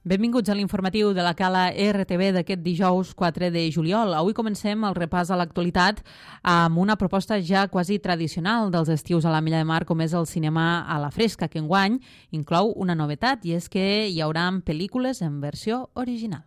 Benvinguts a l'informatiu de la Cala RTV d'aquest dijous 4 de juliol. Avui comencem el repàs a l'actualitat amb una proposta ja quasi tradicional dels estius a l'Ametlla de Mar, com és el cinema a la fresca, que enguany inclou una novetat, i és que hi haurà pel·lícules en versió original.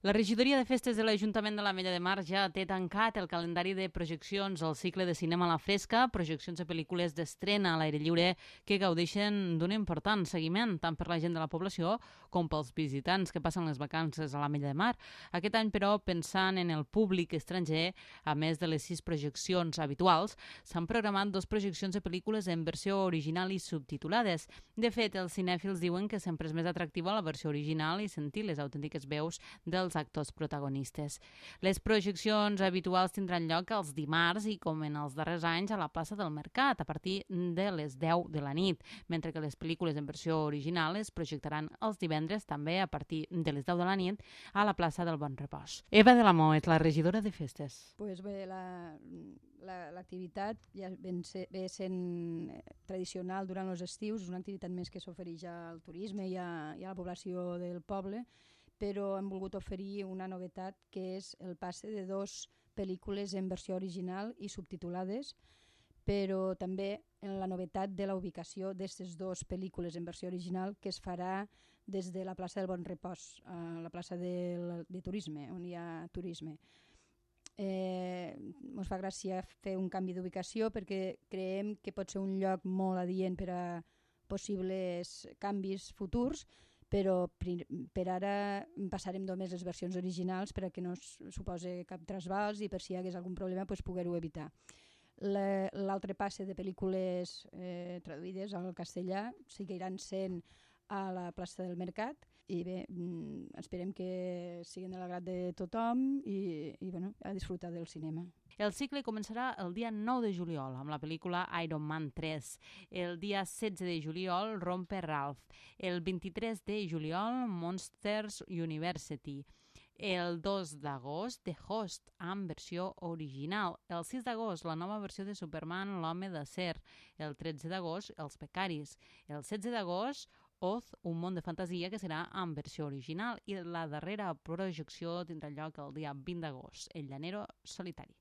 La regidoria de festes de l'Ajuntament de l'Ametlla de Mar ja té tancat el calendari de projeccions al cicle de cinema a la fresca, projeccions de pel·lícules d'estrena a l'aire lliure que gaudeixen d'un important seguiment tant per la gent de la població com pels visitants que passen les vacances a l'Ametlla de Mar. Aquest any, però, pensant en el públic estranger, a més de les 6 projeccions habituals, s'han programat 2 projeccions de pel·lícules en versió original i subtitulades. De fet, els cinèfils diuen que sempre és més atractiva la versió original i sentir les autèntiques veus dels actors protagonistes. Les projeccions habituals tindran lloc els dimarts i, com en els darrers anys, a la plaça del Mercat, a partir de les 10 de la nit, mentre que les pel·lícules en versió original es projectaran els divendres, també a partir de les 10 de la nit, a la plaça del Bon Repòs. Eva de la Moet, la regidora de festes. Pues bé, l'activitat ja ve sent tradicional durant els estius, és una activitat més que s'ofereix al turisme i a la població del poble, però hem volgut oferir una novetat, que és el passe de 2 pel·lícules en versió original i subtitulades, però també en la novetat de la ubicació d'aquestes 2 pel·lícules en versió original, que es farà des de la plaça del Bon Repòs, a la plaça de turisme, on hi ha turisme. Ens fa gràcia fer un canvi d'ubicació perquè creiem que pot ser un lloc molt adient per a possibles canvis futurs, però per ara passarem només les versions originals per a que no suposi cap trasbals i per si hi hagués algun problema poder-ho evitar. L'altre passe de pel·lícules traduïdes al castellà seguiran sent a la plaça del Mercat i bé, esperem que siguin de l'agrat de tothom i a disfrutar del cinema. El cicle començarà el dia 9 de juliol amb la pel·lícula Iron Man 3. El dia 16 de juliol, Romper Ralph. El 23 de juliol, Monsters University. El 2 d'agost, The Host, amb versió original. El 6 d'agost, la nova versió de Superman, l'Home d'Acer. El 13 d'agost, Els Becaris. El 16 d'agost, Oz, un món de fantasia, que serà en versió original. I la darrera projecció tindrà lloc el dia 20 d'agost, El Llanero Solitari.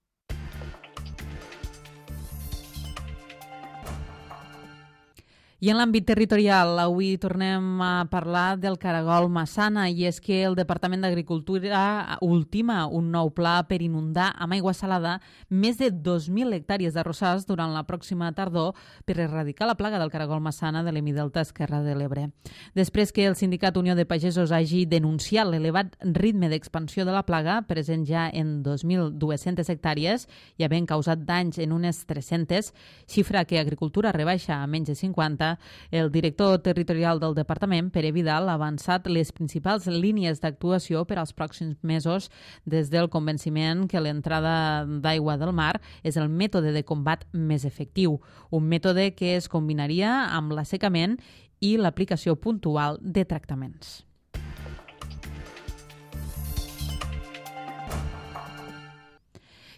I en l'àmbit territorial, avui tornem a parlar del caragol Massana, i és que el Departament d'Agricultura ultima un nou pla per inundar amb aigua salada més de 2.000 hectàrees d'arrossars durant la pròxima tardor per erradicar la plaga del caragol Massana de l'Hemidelta Esquerra de l'Ebre. Després que el Sindicat Unió de Pagesos hagi denunciat l'elevat ritme d'expansió de la plaga, present ja en 2.200 hectàrees i havent causat danys en unes 300, xifra que Agricultura rebaixa a menys de 50, el director territorial del departament, Pere Vidal, ha avançat les principals línies d'actuació per als pròxims mesos, des del convenciment que l'entrada d'aigua del mar és el mètode de combat més efectiu, un mètode que es combinaria amb l'assecament i l'aplicació puntual de tractaments.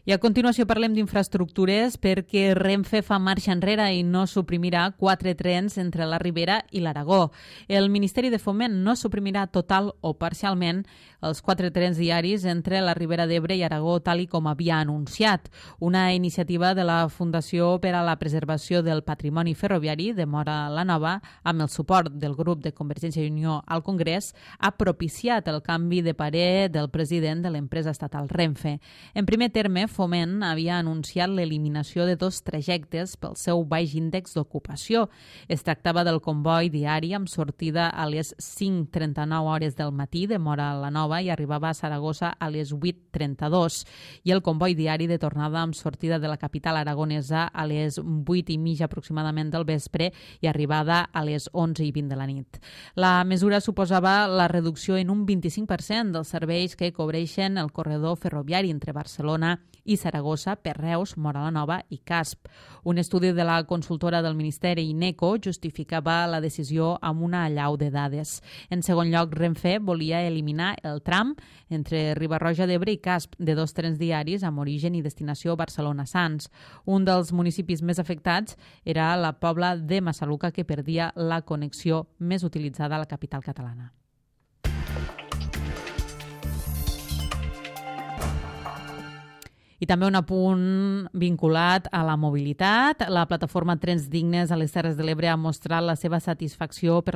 I a continuació parlem d'infraestructures perquè Renfe fa marxa enrere i no suprimirà 4 trens entre la Ribera i l'Aragó. El Ministeri de Foment no suprimirà total o parcialment els 4 trens diaris entre la Ribera d'Ebre i Aragó, tal i com havia anunciat. Una iniciativa de la Fundació per a la Preservació del Patrimoni Ferroviari de Móra la Nova, amb el suport del grup de Convergència i Unió al Congrés, ha propiciat el canvi de parer del president de l'empresa estatal Renfe. En primer terme, Foment havia anunciat l'eliminació de 2 trajectes pel seu baix índex d'ocupació. Es tractava del comboi diari amb sortida a les 5:39 hores del matí de Móra la Nova i arribava a Saragossa a les 8:32, i el comboi diari de tornada amb sortida de la capital aragonesa a les 8:30 aproximadament del vespre i arribada a les 11:20 de la nit. La mesura suposava la reducció en un 25% dels serveis que cobreixen el corredor ferroviari entre Barcelona i Saragossa per Reus, Móra la Nova i Casp. Un estudi de la consultora del Ministeri INECO justificava la decisió amb una allau de dades. En segon lloc, Renfe volia eliminar el tram entre Riba-roja d'Ebre i Casp de 2 trens diaris amb origen i destinació Barcelona-Sants. Un dels municipis més afectats era la Pobla de Massaluca, que perdia la connexió més utilitzada a la capital catalana. I també un apunt vinculat a la mobilitat. La plataforma Trens Dignes a les Terres de l'Ebre ha mostrat la seva satisfacció per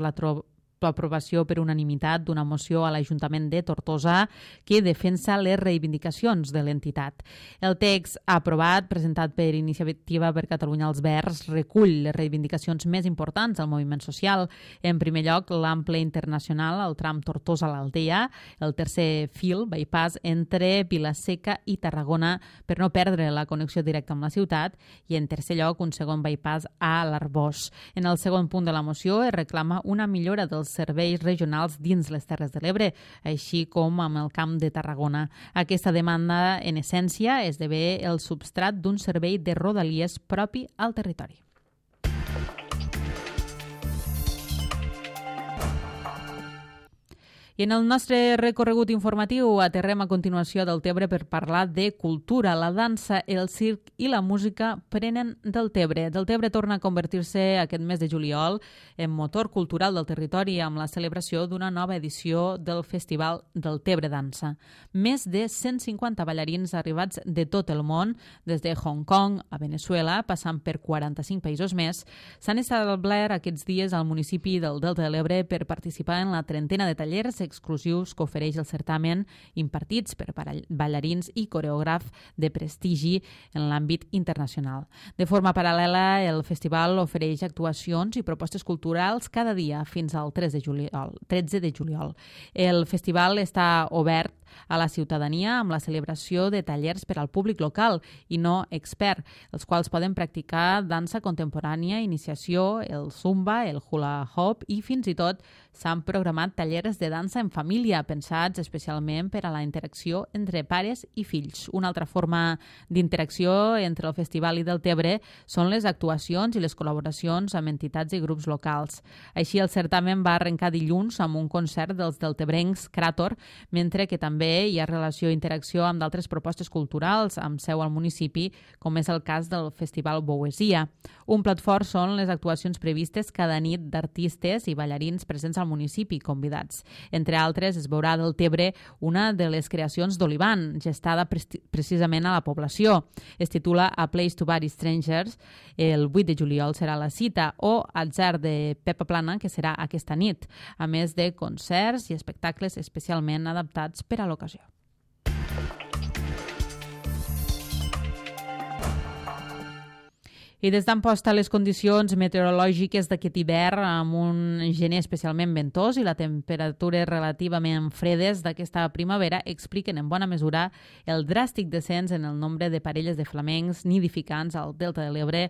l'aprovació per unanimitat d'una moció a l'Ajuntament de Tortosa que defensa les reivindicacions de l'entitat. El text aprovat, presentat per Iniciativa per Catalunya als Verds, recull les reivindicacions més importants del moviment social. En primer lloc, l'ample internacional, el tram Tortosa-l'Aldea, el tercer fil, bypass, entre Vila-seca i Tarragona per no perdre la connexió directa amb la ciutat, i en tercer lloc, un segon bypass a l'Arbós. En el segon punt de la moció es reclama una millora dels serveis regionals dins les Terres de l'Ebre, així com amb el Camp de Tarragona. Aquesta demanda, en essència, esdevé el substrat d'un servei de rodalies propi al territori. I en el nostre recorregut informatiu aterrem a continuació del Tebre per parlar de cultura. La dansa, el circ i la música prenen del Tebre. Del Tebre torna a convertir-se aquest mes de juliol en motor cultural del territori amb la celebració d'una nova edició del Festival del Tebre Dansa. Més de 150 ballarins arribats de tot el món, des de Hong Kong a Venezuela, passant per 45 països més, s'han establert aquests dies al municipi del Delta de l'Ebre per participar en la trentena de tallers exclusius que ofereix el certamen, impartits per ballarins i coreògrafs de prestigi en l'àmbit internacional. De forma paral·lela, el festival ofereix actuacions i propostes culturals cada dia fins al 13 de juliol. El festival està obert a la ciutadania amb la celebració de tallers per al públic local i no expert, els quals poden practicar dansa contemporània, iniciació, el zumba, el hula hoop i fins i tot s'han programat tallers de dansa en família pensats especialment per a la interacció entre pares i fills. Una altra forma d'interacció entre el Festival i del Tebre són les actuacions i les col·laboracions amb entitats i grups locals. Així, el certamen va arrencar dilluns amb un concert dels deltebrencs Cràtor, mentre que també hi ha relació i interacció amb d'altres propostes culturals amb seu al municipi, com és el cas del Festival Boesia. Un plat fort són les actuacions previstes cada nit d'artistes i ballarins presents al municipi convidats. Entre altres, es veurà del Tebre una de les creacions d'Olivan, gestada precisament a la població. Es titula A Place to Bury Strangers, el 8 de juliol serà la cita, o Atzar de Pepa Plana, que serà aquesta nit, a més de concerts i espectacles especialment adaptats per a l'ocasió. I des d'Amposta les condicions meteorològiques d'aquest hivern amb un gener especialment ventós i la temperatures relativament fredes d'aquesta primavera expliquen en bona mesura el dràstic descens en el nombre de parelles de flamencs nidificants al Delta de l'Ebre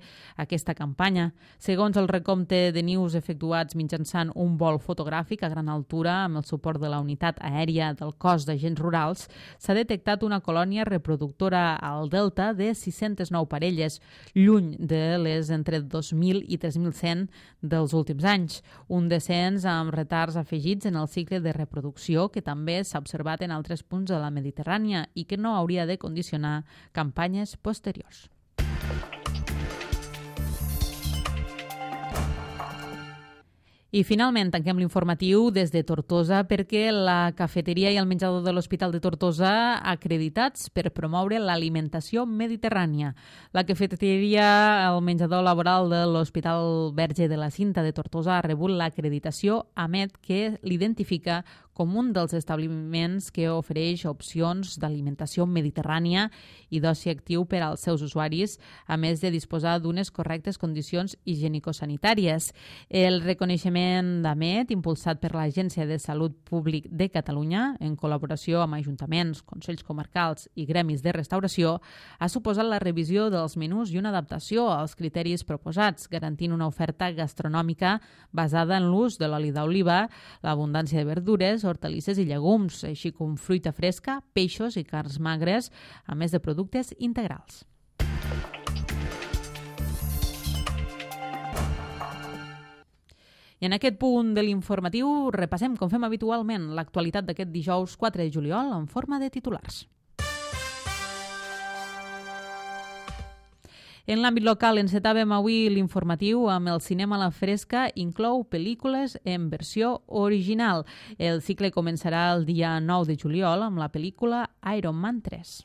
aquesta campanya. Segons el recompte de nius efectuats mitjançant un vol fotogràfic a gran altura amb el suport de la unitat aèria del cos d'agents rurals, s'ha detectat una colònia reproductora al Delta de 609 parelles, lluny de les entre 2.000 i 3.100 dels últims anys. Un descens amb retards afegits en el cicle de reproducció que també s'ha observat en altres punts de la Mediterrània i que no hauria de condicionar campanyes posteriors. I finalment tanquem l'informatiu des de Tortosa perquè la cafeteria i el menjador de l'Hospital de Tortosa acreditats per promoure l'alimentació mediterrània. La cafeteria, el menjador laboral de l'Hospital Verge de la Cinta de Tortosa ha rebut l'acreditació AMET, que l'identifica com un dels establiments que ofereix opcions d'alimentació mediterrània i d'oci actiu per als seus usuaris, a més de disposar d'unes correctes condicions higienicosanitàries. El reconeixement d'AMET, impulsat per l'Agència de Salut Públic de Catalunya, en col·laboració amb ajuntaments, consells comarcals i gremis de restauració, ha suposat la revisió dels menús i una adaptació als criteris proposats, garantint una oferta gastronòmica basada en l'ús de l'oli d'oliva, l'abundància de verdures, verdures, hortalisses i llegums, així com fruita fresca, peixos i carns magres, a més de productes integrals. I en aquest punt de l'informatiu repassem, com fem habitualment, l'actualitat d'aquest dijous 4 de juliol en forma de titulars. En l'àmbit local encetàvem avui l'informatiu amb el cinema a la fresca, inclou pel·lícules en versió original. El cicle començarà el dia 9 de juliol amb la pel·lícula Iron Man 3.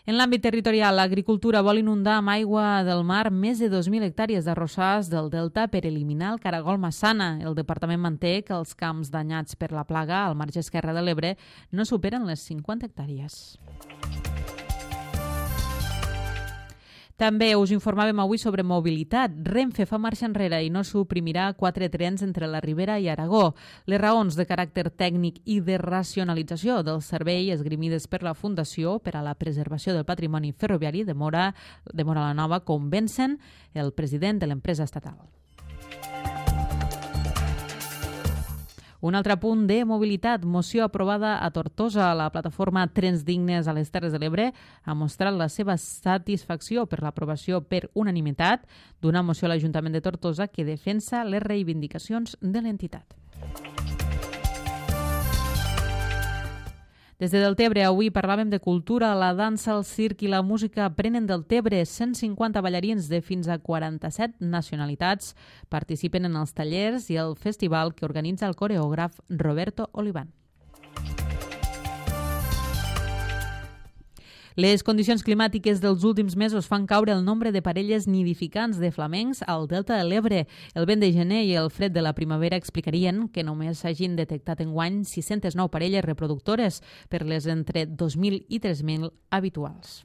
En l'àmbit territorial, l'agricultura vol inundar amb aigua del mar més de 2.000 hectàrees d'arrossars del delta per eliminar el caragol massana. El departament manté que els camps danyats per la plaga al marge esquerre de l'Ebre no superen les 50 hectàrees. També us informàvem avui sobre mobilitat. Renfe fa marxa enrere i no suprimirà 4 trens entre la Ribera i Aragó. Les raons de caràcter tècnic i de racionalització del servei esgrimides per la Fundació per a la Preservació del Patrimoni Ferroviari de Móra la Nova convencen el president de l'empresa estatal. Un altre punt de mobilitat, moció aprovada a Tortosa. La plataforma Trens Dignes a les Terres de l'Ebre ha mostrat la seva satisfacció per l'aprovació per unanimitat d'una moció a l'Ajuntament de Tortosa que defensa les reivindicacions de l'entitat. Des de Deltebre, avui parlàvem de cultura. La dansa, el circ i la música prenen del Tebre. 150 ballarins de fins a 47 nacionalitats participen en els tallers i el festival que organitza el coreògraf Roberto Olivan. Les condicions climàtiques dels últims mesos fan caure el nombre de parelles nidificants de flamencs al delta de l'Ebre. El vent de gener i el fred de la primavera explicarien que només s'hagin detectat enguany 609 parelles reproductores per les entre 2.000 i 3.000 habituals.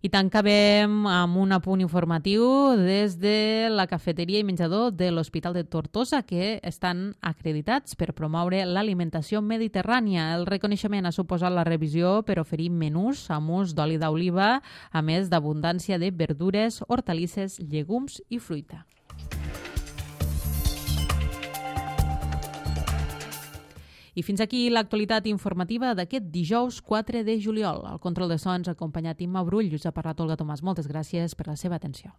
I tancàvem amb un apunt informatiu des de la cafeteria i menjador de l'Hospital de Tortosa, que estan acreditats per promoure l'alimentació mediterrània. El reconeixement ha suposat la revisió per oferir menús amb ús d'oli d'oliva, a més d'abundància de verdures, hortalisses, llegums i fruita. I fins aquí l'actualitat informativa d'aquest dijous 4 de juliol. Al control de so ens ha acompanyat Imma Brull i us ha parlat Olga Tomàs. Moltes gràcies per la seva atenció.